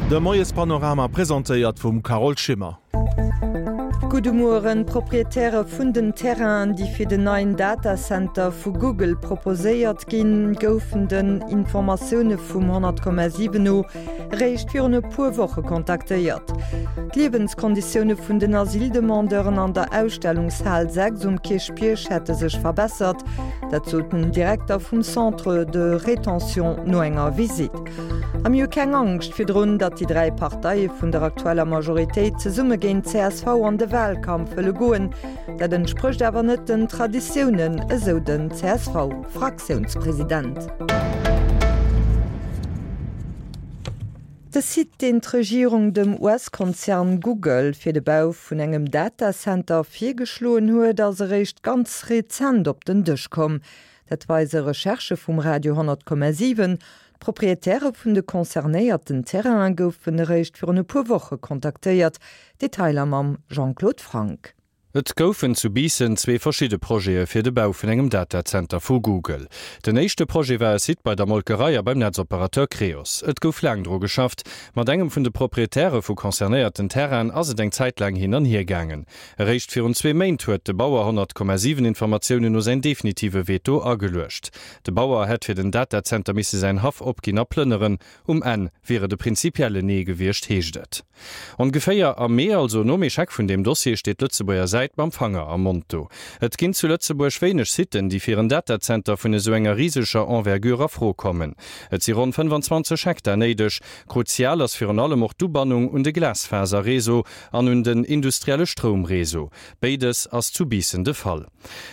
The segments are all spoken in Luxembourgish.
De Moiespanorama presentéiert vum Carole Schimmer. Gudde Mueren. D'Proprietäre vun den Terrainen, déi fir den neien Datacenter vu Google proposéiert ginn, goufen den Informatioune vum 100,7 no eréischt virun e puer Woche kontaktéiert. D'Liewenskonditioune vun den Asyldemandeuren an der Ausstellungshal 6 um Kierchbierg hätte sech verbessert. Dat sot den Direkter vum Centre de rétention no enger Visitt. A mir hu keng Angscht virdrun, datt déi 3 Parteie vun der aktueller Majoritéit zesumme géint csv an de Wahlkampf wëlle goen. Dat entsprécht awer net den Traditiounen, esou den CSV-Fraktiounspresident. De Site, deen d'Regierung dem US-Konzern Google fir de Bau vun engem Datacenter virgeschloen huet, ass eréischt ganz rezent op den Dësch komm. Dat weise Recherchë vum Radio 10,7. D'Proprietäre vun de concernéierten Terrainen goufen eréischt virun e puer Woche kontaktéiert. Detailer mam Jean-Claude Franck. Et goufen zu Biissen zwee verschidde Projete fir de Bau vun engem Datacenter vu Google. Den éischte Projet war e Site bei der Molkerei a beim Netzoperateur Creos. Et gouf laang dru geschafft. Mat engem vun de Proprietäre vu concernéierten Terrainen ass et eng Zäit laang hin an hier gaangen. Eréischt virun zwee Méint huet de Bauer 100,7 Informatiounen no säin definitive Veto ageluecht. De Bauer hätt fir den Datacenter misse säin Haff opginn a plënneren. Um Enn wier et e prinzipiellen Nee gewiescht, heescht et. Ongeféier am Mee, also nom Echec vun deem Dossier, steet d'Lëtzebuerger Säit mam Fanger am Mond do. Et ginn zu Lëtzebuerg wéineg Siten, déi fir en Datacenter vun esou enger riseger Envergure a Fro kommen. Et si ronn 25 Hektar néideg. Kruzial ass virun allem och d'Ubannung un de Glasfaserreseau an un den industrielle Stroumreseau. Béides ass zu Biissen de Fall.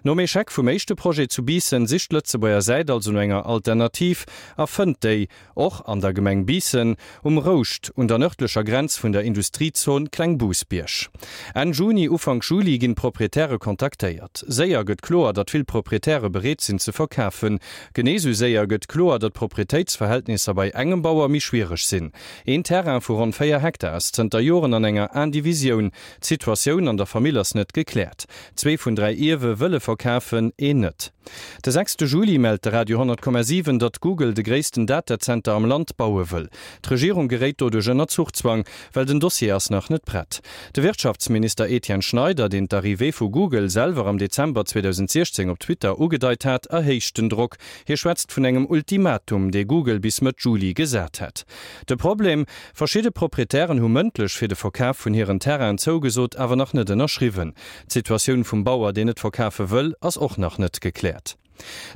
Nom Echec vum éischte Projet zu Biissen sicht d'Lëtzebuerger Säit also no enger Alternativ a fënnt déi. Och an der Gemeng Biissen, um Rouscht, un der nërdlecher Grenz vun der Industriezon Klengbousbierg. Enn Juni, Ufank Juli ginn d'Proprietäre kontaktéiert. Séier gëtt kloer, datt vill Proprietäre bereet sinn ze verkafen. Genee sou séier gëtt kloer, datt d'Proprietéitsverhältnisser bei engem Bauer méi schwiereg sinn. Een Terrain vu ronn 4 Hektar ass zënter Joren an enger Indivisioun. D'Situatioun an der Famill ass net gekläert. Zwee vun 3 Ierwe wëlle verkafen, een net. De sechste Juli mellt de Radio 10,7, datt Google de gréissten Datacenter am Land baue wëll. D'Regierung geréit doduerch ënner Zuchzwang, well den Dossier ass nach net prett. De Wirtschaftsminister Etienne Schneider, deen d'Arrivée vu Google selwer am Dezember 2016 op Twitter ugedeit hat, erhéicht den Drock. Hie schwätzt vun engem Ultimatum, dee Google bis Mëtt Juli gesat hätt. De Problem, Verschidde Proprietären hu mëndlech fir de Verkaf vun hiren Terrainen zougesot, awer nach net ënnerschriwwen. D'Situatioun vum Bauer, deen net verkafe wëll, ass och nach net gekläert.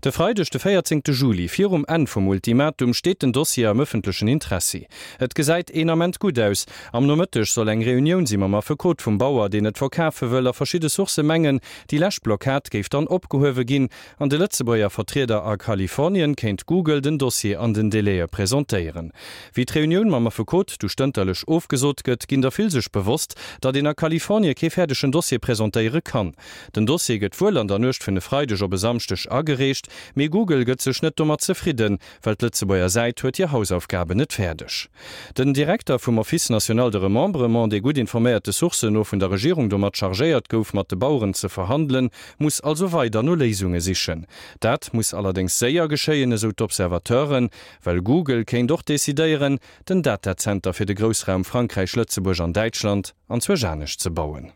De Freideg, de 14 Juli, virum Enn vum Ultimatum, steet den Dossier am ëffentlechen Interessi. Et gesäit een Ament gutt aus. Am Nomëtteg soll eng Reunioun si mam Affekot vum Bauer, deen et verkafe wëll, a verschidde Sourcë mengen, déi lescht Blockad géif dann opgehuewe ginn. An de Lëtzebuerger Vertrieder a Kalifornien kéint Google den Dossier an den Délaië presentéieren. Wéi d'Reunioun mam Affekot du stënterlech ofgesot gëtt, ginn der vill sech bewosst, datt een a Kalifornie kee fäerdegen Dossier presentéiere kann. Den Dossier gëtt wuel an der Nuecht vun e Freideg op e Samschdeg agereecht, mee Google gëtt sech net domat zefridden, well d'Lëtzebuerger Säit huet hir Hausaufgaben net fäerdeg. Den Direkter vum Office national de remembrement, dee gutt informéierte Sourcen no vun der Regierung domat chargéiert gouf, mat de Baueren ze verhandelen, muss also weider no Léisunge sichen. Dat muss allerdéngs séier geschéien, esou d'Observateuren, well Google kéint och decidéieren, den Datazenter fir de Groussraum Frankräich, Lëtzebuerg an Däitschland anzwousch anescht ze bauen.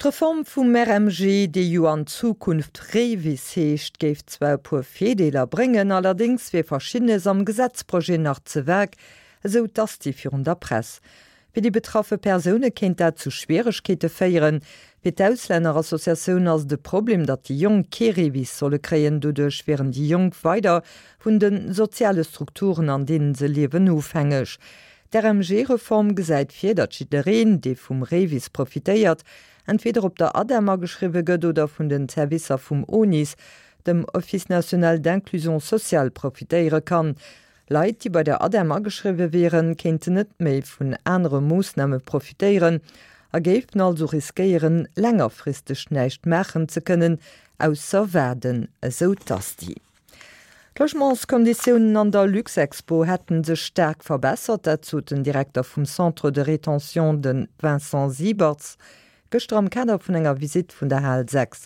D'Reform vum RMG, déi jo an Zukunft REVIS heescht, géif zwar e puer Virdeeler bréngen, allerdéngs wier Verschiddenes am Gesetzprojet nach ze vag, esou d'Asti virun der Press. Fir déi betraffe Persoune kéint dat zu Schwieregkeete féieren. Fir d'Auslännerassociatioun ass et e Problem, datt déi Jonk kee REVIS solle kréien. Doduerch wieren déi Jonk weider vun de soziale Strukturen, an deenen se liewen, ofhängeg. D'RMG-Reform gesäit vir, datt jiddereen, dee vum REVIS profitéiert, entweder op der ADEM ageschriwwe gëtt oder vun den Servicer vum ONIS, dem Office national d'inclusion sociale, profitéiere kann. Leit, déi bei der ADEM ageschriwwe wieren, kéinten net méi vun anere Moossname profitéieren a géifen also riskéieren, längerfristeg näischt maachen ze kënnen, ausser waarden, esou d'Asti. D'Logementskonditiounen an der Luxexpo hätte sech staark verbessert, dat sot den Direkter vum Centre de rétention, de Vincent Siebertz, gëschter am Kader vun enger Visitt vun der Hal 6.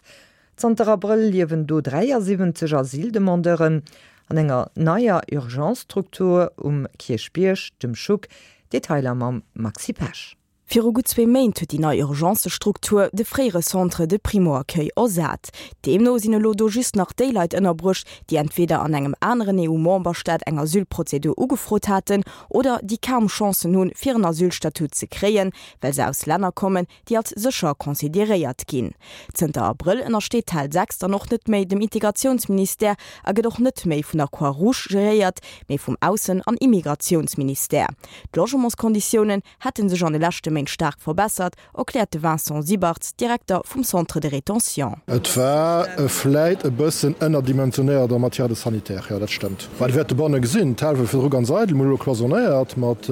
Zanter Abrëll liewen do 73 Asyldemandeuren. An enger neier Urgence-Struktur um Kierchbierg, dem Schuck. Detailer mam Maxi Pesch. Viru gutt zwee Méint huet déi nei Urgencestruktur de fréiere Centre de primo-accueil ersat. Deemno sinn elo do just nach déi Leit ënnerbruecht, déi entweder an engem aneren EU-Memberstaat eng Asylprozedur ugefrot haten oder déi kaum Chancen hunn, fir en Asylstatut ze kréien, well se aus Länner kommen, déi als sécher consideréiert ginn. Zënter Abrëll ënnersteet d'Hal 6 dann och net méi dem Integratiounsministère a gëtt och net méi vun der Croix-Rouge geréiert, mee vum Aussen an Immigratiounsministère. D'Logementskonditiounen hätte sech an de leschte Méint staark verbessert, erkläert de Vincent Siebartz, Direkter vum Centre de rétention. Et war vläit e bëssen ënnerdimensionéiert en matière de sanitaire, jo dat stëmmt. Well Dir wäert dobanne gesinn, d'Hal war virdru ganz eidel, mir hu elo cloisonnéiert mat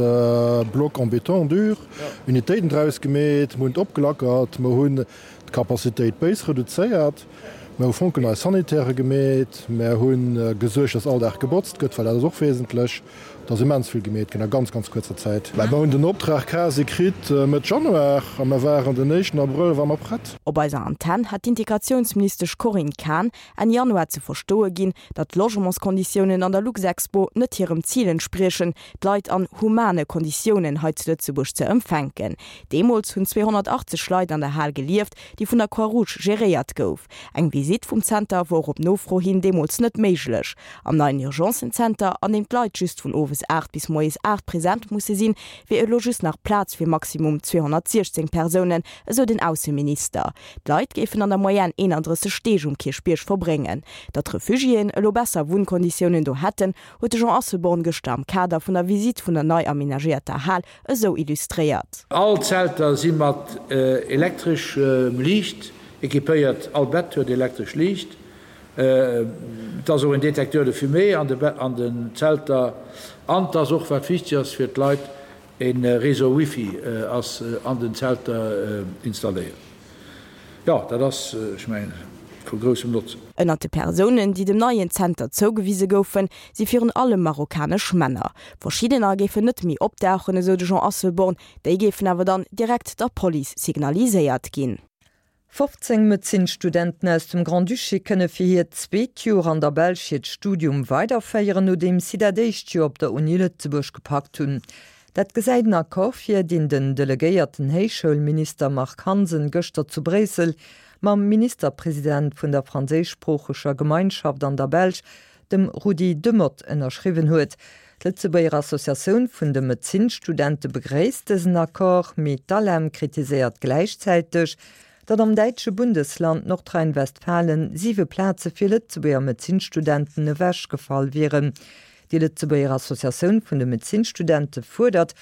Blocs en béton dur, Unitéiten draus gemeet, mir hunn et opgelackert, mir hunn d'Capacitéit béis reduzéiert, mir hu fonkelnei Sanitairë gemeet, mir hu gesuergt, dass all Dag gebotzt gëtt, well dat ass och wesentlech. Et ass immens vill gemeet ginn a ganz, ganz kuerzer Zäit. Mä mer hunn den Optrag quasi kritt Mëtt Januar a mer waren den éischten Abrëll ware mer prett. Op eiser Antenn hat d'Integratiounsministesch Corinne Cahen Enn Januar ze verstoe ginn, datt d'Logementskonditiounen an der Luxexpo net hirem Zil entspriechen, d'Leit an humane Konditiounen hei zu Lëtzebuerg ze empfänken. Deemools hunn 280 Leit an der Hal gelieft, déi vun der Croix-Rouge geréiert gouf. Eng Visitt vum Zenter wor op Nofro hin deemools net méiglech. Am neien Urgencen-Zenter, an deem d'Leit just vun owes 8 bis moies 8 present musse sinn, wier elo just nach Plaz fir maximum 216 Persounen, esou den Ausseminister. D'Leit géifen an der Moyenne 31 Deeg um Kierchbierg verbréngen. Datt d'Refugiéen elo besser Wunnkonditiounen do hätten, huet de Jean Asselborn gëschter am Kader vun der Visitt vun der nei amenagéierter Hal esou illustréiert. All d'Zelter si mat elektreschem Liicht equipéiert, all Bett huet elektresch Liicht. Et ass och en Détecteur de fumée an den Zelter an et ass och, wat wichteg ass fir d'Leit, e Réseau Wifi ass an den Zelter installéiert. Jo, dat ass, ech mengen, vu groussem Notzen. Ënnert de Persounen, déi dem neien Zenter zougewise goufen, si virun allem marokkanesch Männer. Verschiddener géifen net méi opdauchen, esou de Jean Asselborn, déi géifen awer dann direkt der Police signaliséiert ginn. 15 Medezinsstudenten aus dem Grand-Duché kënne fir hiert zweet Joer an der Belsch hiert Studium weiderféieren, nodeems si dat éischt Joer op der Uni Lëtzebuerg gepackt hunn. Dat gesäit en Accord vir, deen den delegéierten Héichschoulminister Marc Hansen gëschter zu Bréissel mam Ministerpresident vun der franséischsproocheger Gemeinschaft an der Belsch, dem Rudy Demotte, ënnerschriwwen huet. D'Lëtzebuerger Associatioun vun de Medezinsstudente begréisst dësen Accord, mee d'ALEM kritiséiert gläichzäiteg, datt am däitsche Bundesland Nordrhein-Westfalen siwe Plaze fir Lëtzebuerger Medezinsstudenten ewechgefall wieren. Déi Lëtzebuerger Associatioun vun de Medezinsstudente fuerdert,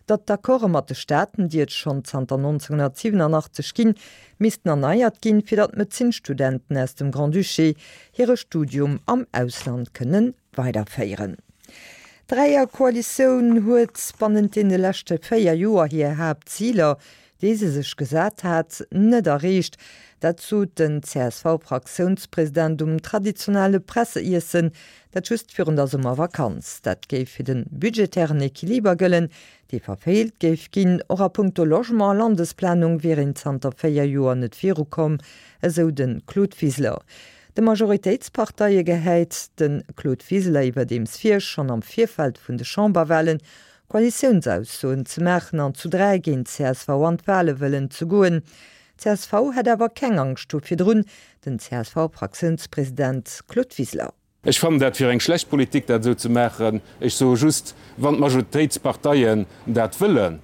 datt d'Accorde mat de Staaten, déi et schonn zanter 1987 ginn, missten erneiert ginn, fir datt d'Medezinsstudenten aus dem Grand-Duché hire Studium am Ausland kënnen weiderféieren. D'Dräierkoalitioun huet bannent deene leschte 4 Joer hir Haaptziler, déi se sech gesat hat, net erreecht. Dat sot den CSV-Fraktiounspresident um traditionelle Presseiessen, dat just virun der Summervakanz. Dat géif fir de budgetären Equiliber gëllen, dee verfeelt géif ginn. Och a punkto Logement a Landesplanung wier een zanter 4 Joer net virukomm, esou de Claude Wiseler. De Majoritéitsparteie gehäit de Claude Wiseler iwwerdeems vir, schonn am Virfeld vun de Chamberwalen Koalitiounsaussoen ze maachen an zu 3 géint csv an d'Wale wëllen ze goen. Csv hätt awer keng Angscht do virdrun, den CSV-Fraktiounspresident Claude Wiseler. Ech fannen dat fir eng schlecht Politik, dat esou ze maachen. Ech soe just, wann d'Majoritéitsparteien dat wëllen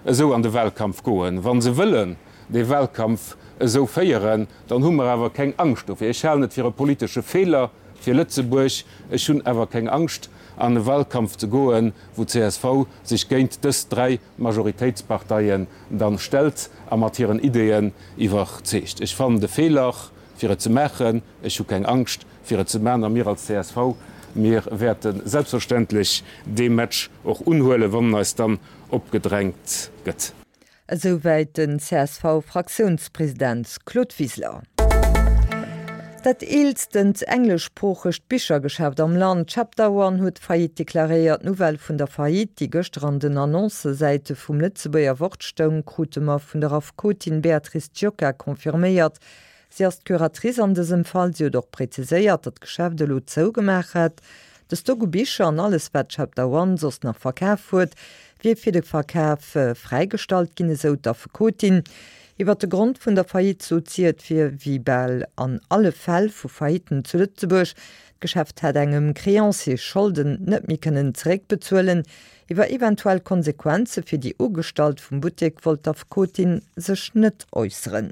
esou an de Wahlkampf goen, wa se wëllen dee Wahlkampf esou féieren, dann hu mer awer keng Angscht dofir. Ech halen et fir e politesche Feeler fir Lëtzebuerg. Ech hunn awer keng Angscht, an e Wahlkampf ze goen, wou csv sech géint dës dräi Majoritéitsparteien dann stellt a mat hiren Ideeën iwwerzeegt. Ech fannen de Feeler, fir et ze maachen. Ech hu keng Angscht, fir et ze maachen. A mir als csv, mir wäerte selbstverständlech dee Match och unhuelen, wann en eis dann opgedrängt gëtt. Esouwäit den CSV-Fraktiounspresident Claude Wiseler. Dat eelstent engleschsproochegt Bichergeschäft am Land, Chapter One, huet Faillite deklaréiert. D'Nouvelle vun der Faillite, déi gëschter an den Annoncësäite vum Lëtzebuerger Wort stoung, krute mer vun der Affekotin Beatrice Giocca confirméiert. Si ass d'Curatrice an dësem Fall. Si huet och präziséiert, datt d'Geschäft elo zougemaach hätt. De Stock u Bicher an alles wat Chapter One soss nach verkaf huet, wier fir de Verkaf fräigestallt ginn, esou d'Affekotin. Iwwer de Grond vun der Faillite sot si, et wier wéi bal an alle Fäll vu Faillitten zu Lëtzebuerg, d'Geschäft hätt engem Creancier Scholden net méi kënnen zeréckbezuelen. Iwwer eventuell Konsequenze fir déi Ugestallt vum Buttek wollt d'Affekotin sech net äusseren.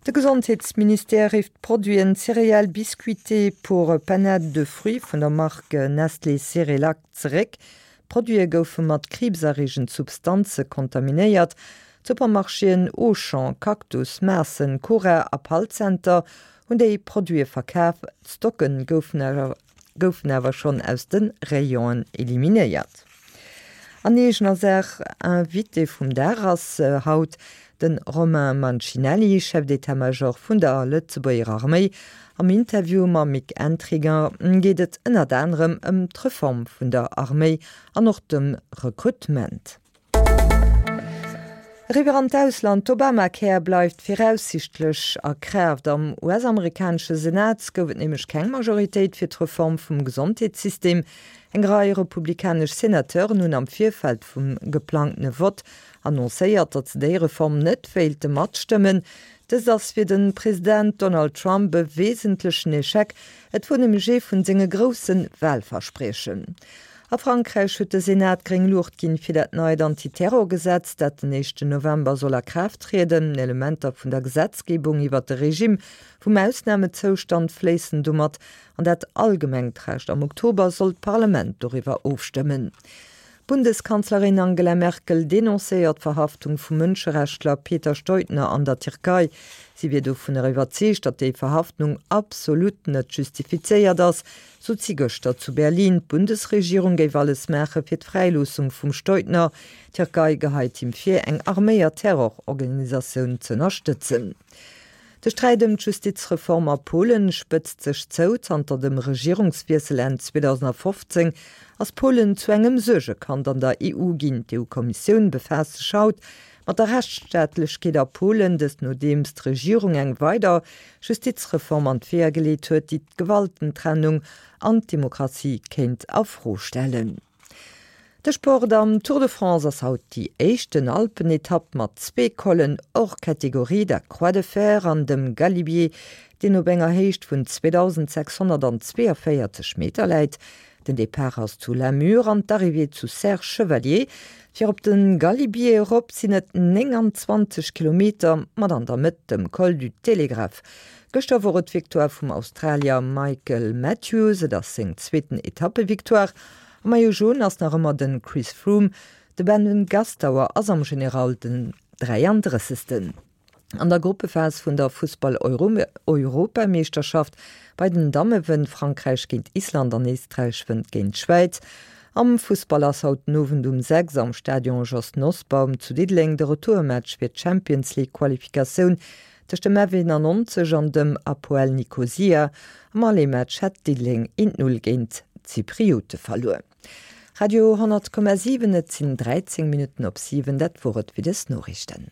De Gesondheetsministère rifft d'Produiten Céréales biscuitées pour panade de fruits vun der Mark Nestlé Cerelac zeréck. D'Produite goufe mat kriibserreegend Substanze kontaminéiert. D'Supermarchéen Auchan, Cactus, Maassen, Cora a Palcenter hunn déi Produite verkaf. D'Stocke goufen goufen awer schonn aus de Rayonen eliminéiert. An eegener Saach, Invité vum Dag ass haut de Romain Mancinelli, Chef d'état-major vun der Lëtzebuerger Arméi. Am Interview mam Mick Entringer geet et ënnert anerem ëm d'Reform vun der Arméi an och dem Rekrutement. Eriwwer an d'Ausland, D'Obamacare bleift viraussiichtlech a Kraaft. Am US-amerikanesche Senat gouf et nämlech keng Majoritéit fir d'Reform vum Gesondheetssystem. Eng Rei republikanesch Senateuren hunn am Virfeld vum geplangtene Vott annoncéiert, datt se déi Reform net wéilte matstëmmen. Dëst ass fir de President Donald Trump e wesentlechen Echec, et wor nämlech ee vun senge grousse Wahlverspriechen. A Frankräich huet de Senat gréng Luucht ginn fir dat neit Antiterrorgesetz, dat den éischten November soll a Kraaft trieden. Elementer vun der Gesetzgebung iwwert de Regime vum Ausnamezoustand fléissen domat an dat allgemengt Recht. Am Oktober soll d'Parlament doriwwer ofstëmmen. D'Bundeskanzlerin Angela Merkel denoncéiert d'Verhaftung vum Mënscherechtler Peter Steudner an der Tierkei. Si wier dovunner iwwerzeegt, datt déi Verhaftnung absolut net justifizéiert ass, sot si gëschter zu Berlin. D'Bundesregierung géif alles maache fir d'Fräiloossung vum Steudner. D'Tierkei geheit him vir, eng arméiert Terrororganisatioun z'ënnerstëtzen. De Sträit ëm d'Justizreform a Polen spëtzt sech zou. Zanter dem Regierungswiessel Enn 2015 ass Polen zu engem Suergekand an der EU ginn. D'EU-Kommissioun befaasst sech haut mat der Rechtsstaatlechkeet a Polen, dëst nodeems d'Regierung eng weider Justizreform an d'Weeër geleet huet, déi d'Gewaltentrennung an d'Demokratie kéint a Fro stellen. De Sport Am Tour de France ass haut déi éischten Alpenetapp mat zwee Collen hors catégorie, der Croix de Fer an dem Galibier, deen op enger Héicht vun 2.642 Meter läit. Den Depart ass zu La Mure an d'Arrivée zu Serre Chevalier. Fir op de Galibier erop sinn et 29 Kilometer, mat an der Mëtt dem Col du Télégraphe. Gëschter wor et d'Victoire vum Australier Michael Matthews, et ass seng zweeten Etappevictoire. Am Maillot Jaune ass nach ëmmer de Chris Froome, de Ben Gastauer ass am General den 33. An der Gruppephas vun der Fussball-Europameeschterschaft bei den Damme wënnt Frankräich géint Island an Éisträich wënnt géint d'Schwäiz. Am Fussball ass haut den Owend um 6 am Stadion Jos Nosbaum zu Diddeleng de Retourmatch fir d'Champions League Qualifikatioun tëscht dem F91 an dem Apoel Nikosia. Am Aller-Match hat Diddeleng 1, 0 géint d'Zypriote verluer. Radio 10,7 Et sinn 13 Minutten op 7, dat wor et fir des Noriichten.